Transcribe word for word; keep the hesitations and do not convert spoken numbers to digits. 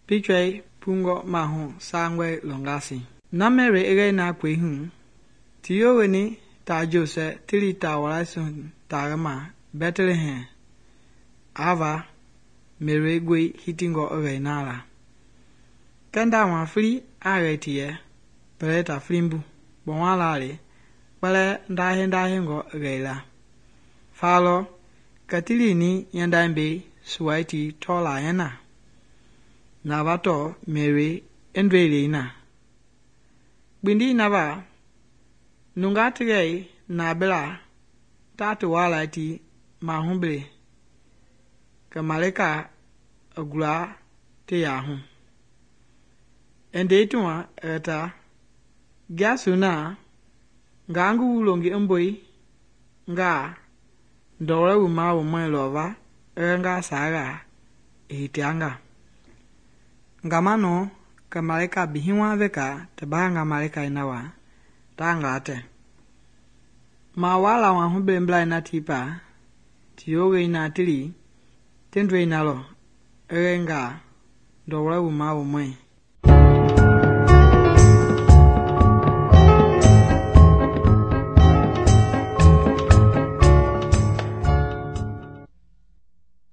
picture pungo mahu sangwe longasi. Na Mary ege na kwe hu. Tiyo weni ta Jose tili ta walasun ta gama Bethlehem. Ava Mary gwe hitingo ege nala. Kenda wa free age tiye. Peleta flimbu. Bonwalale. Pele ndahe ndahe ngo ege la. Falo katili ni yandambe suwaiti tola yana. Navato Mary endwele na. Bindi nava nungatige na bela tatu wala ti mahumble kamaleka agula te yahu. Ende tuwa eta gasuna gangu ulongi mboi nga ndore uma umwe lova nga saga itianga. Ngamano kamaleka bihiwa veka tabanga maleka inawa tangate. Ma wala wa humbe mbla ina tipa tiyoge ina tili tendwe inalo erenga ndore uma umwe.